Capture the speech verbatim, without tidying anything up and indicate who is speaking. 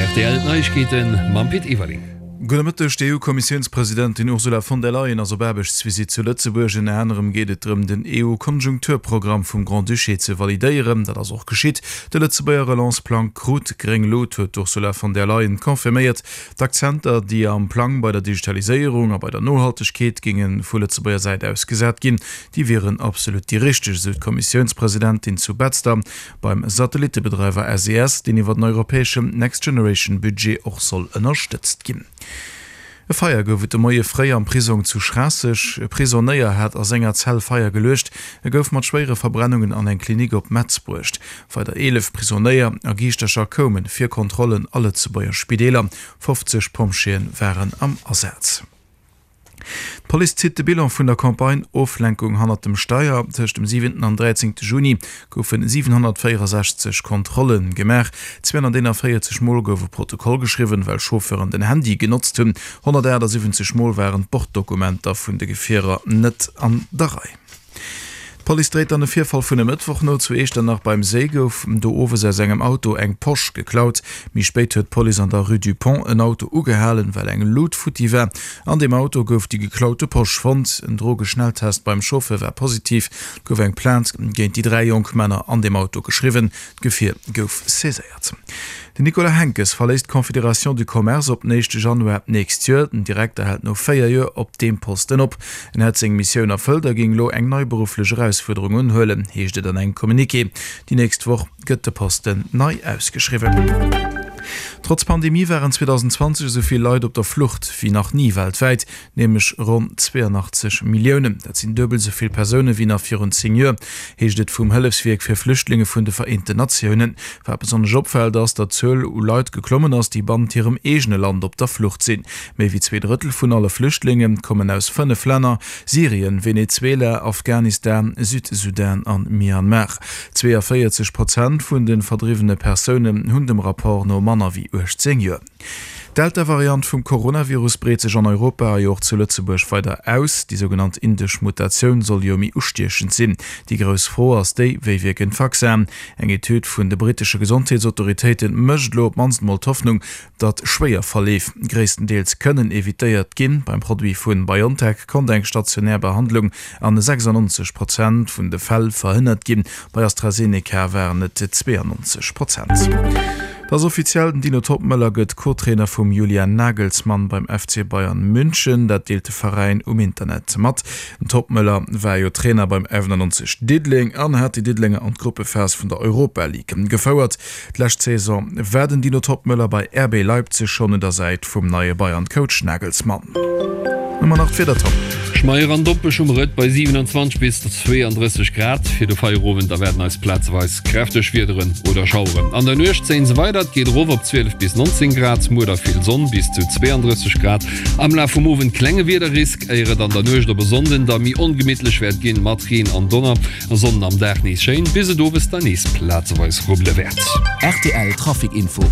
Speaker 1: Rtl Neiegkeeten mam Pit Everling.
Speaker 2: Gudde Mëtteg, D'EU-Kommissiounspresidentin Ursula von der Leyen ass op Aarbechtsvisitt zu Lëtzebuerg. Ënner anerem geet et drëm, den EU-Konjunkturprogramm vum Grand-Duché ze validéieren. Dat ass och geschitt. De Lëtzebuerger Relance-Plang krut gréng Lut, huet d'Ursula von der Leyen confirméiert. D'Akzenter, déi am Plang bei der Digitaliséierung a bei der Nohaltegkeet géinge vu Lëtzebuerger Säit aus gesat ginn, déi wieren absolut déi richteg, esou d'Kommissiounspresidentin zu Betzder beim Satellittebedreiwer S E S, deen iwwer den europäeschen Next-Generation-Budget och soll ënnerstëtzt ginn. E Feier gouf et de Moie fréi am Prisong zu Schraasseg. E Prisonéier hat a senger Zell Feier geluecht. E gouf mat schwéiere Verbrennungen an eng Klinik op Metz bruecht. Weider eelef Prisonéier a Giischtercher koume fir Kontrollen a Lëtzebuerger Spideeler. fofzeg Pompjeeë waren am Asaz. D'Police zitt de Bilan vun der Campagne Oflenkung hannert dem Steier. Tëscht dem siwenten an dräizéngte Juni goufe siwenhonnertvéierensechzeg Kontrolle gemaach. zweehonnerteenanvéierzeg Mol gouf e Protokoll geschriwwen, well Chauffeuren den Handy genotzt hunn. honnertaachtsiwwenzeg Mol waren d'Borddokumenter vun de Gefierer net an der Rei. D'Police dréit dann e Virfall vun e Mëttwoch no. Zu Iechternach beim Séi gouf do owes aus engem Auto eng Posch geklaut. Méi spéit huet d'Police an der Rue du Pont en Auto ugehalen, well eng Lut futti war. An deem Auto gouf déi geklaute Posch fonnt. En Drogeschnelltest beim Chauffeur war positiv. Et gouf eng Plainte géint déi dräi jonk Männer an deem Auto geschriwwen. D'Gefier gouf saiséiert. Den Nicolas Henckes verléisst d'Confédération du Commerce op den éischte Januar d'nächst Joer. Den Direkter hält no véier Joer op deem Posten op. En hätt seng Missioun erfëllt a géing elo eng nei berufflech Erausfuerderung unhuelen, heescht et an engem Communiqué. Déi nächst Woch gëtt de Posten nei ausgeschriwwen. Trotz Pandemie waren zweedausendzwanzeg esou vill Leit op der Flucht wéi nach ni weltwäit, nämlech ronn zweeanachtzeg Milliounen. Dat sinn duebel esou vill Persoune wéi nach virun zéng Joer, heescht et vum Hëllefswierk fir Flüchtlinge vun de Vereenten Natiounen. Wat besonnesch opfält, ass, datt d'Zuel u Leit geklommen ass, déi bannent hirem eegene Land op der Flucht sinn. Méi wéi zwee Drëttel vun alle Flüchtlinge kommen aus fënnef Länner, Syrien, Venezuela, Afghanistan, Südsudan an Myanmar. zweeënvéierzeg Prozent vun de verdriwwene Persounen hunn dem Rapport no manner wéi uechtzéng Joer. D'Delta-Variant vum Coronavirus breet sech an Europa a jo och zu Lëtzebuerg weider aus. Déi sougenannt indesch Mutatioun soll jo méi ustiechend sinn. Déi grouss Fro ass déi, Wéi wierken d'Vaccinen? Eng Etüd vun de brittesche Gesondheetsautoritéite mécht elo op d'mannst mol d'Hoffnung, datt schwéier Verleef gréisstendeels kënnen evitéiert ginn. Beim Produit vu BioNTech konnt eng stationär Behandlung an sechsannonzeg Prozent vun de Fäll verhënnert ginn, bei AstraZeneca waren et zweeannonzeg Prozent. Et ass offiziell, den Dino Toppmöller gëtt Co-Trainer vum Julian Nagelsmann beim F C Bayern München. Dat deelt de Veräin um Internet mat. Den Toppmöller war jo Trainer beim F neunundneunzeg Diddeleng an hat déi Diddelenger an d'Gruppephas vun der Europa League gefouert. D'lescht Saison war den Dino Toppmöller bei R B Leipzig schonn un der Säit vum neie Bayern-Coach Nagelsmann. Hu mer nach d'Wieder, Tom?
Speaker 1: Schmeier an Dompech um Rëtt bei siewenundzwanzeg bis zweeandrësseg Grad. Fir de Feierowend erwaarden eis plazeweis kräfteg Wiederen oder Schaueren. An der Nuecht zéien se weider, et geet erof op zwielef bis nonzéng Grad. Muer da vill Sonn, bis zu zweeandrësseg Grad. Am Laf vum Owend klenge Wiederrisk, éier et an der Nuecht op e Sonnden da méi ongemittlech wäert ginn, mat Reen an Donner. E Sonden am Dag nees schéin, bis et owes da nees plazeweis rubbele wäert.
Speaker 3: R T L Trafic Info.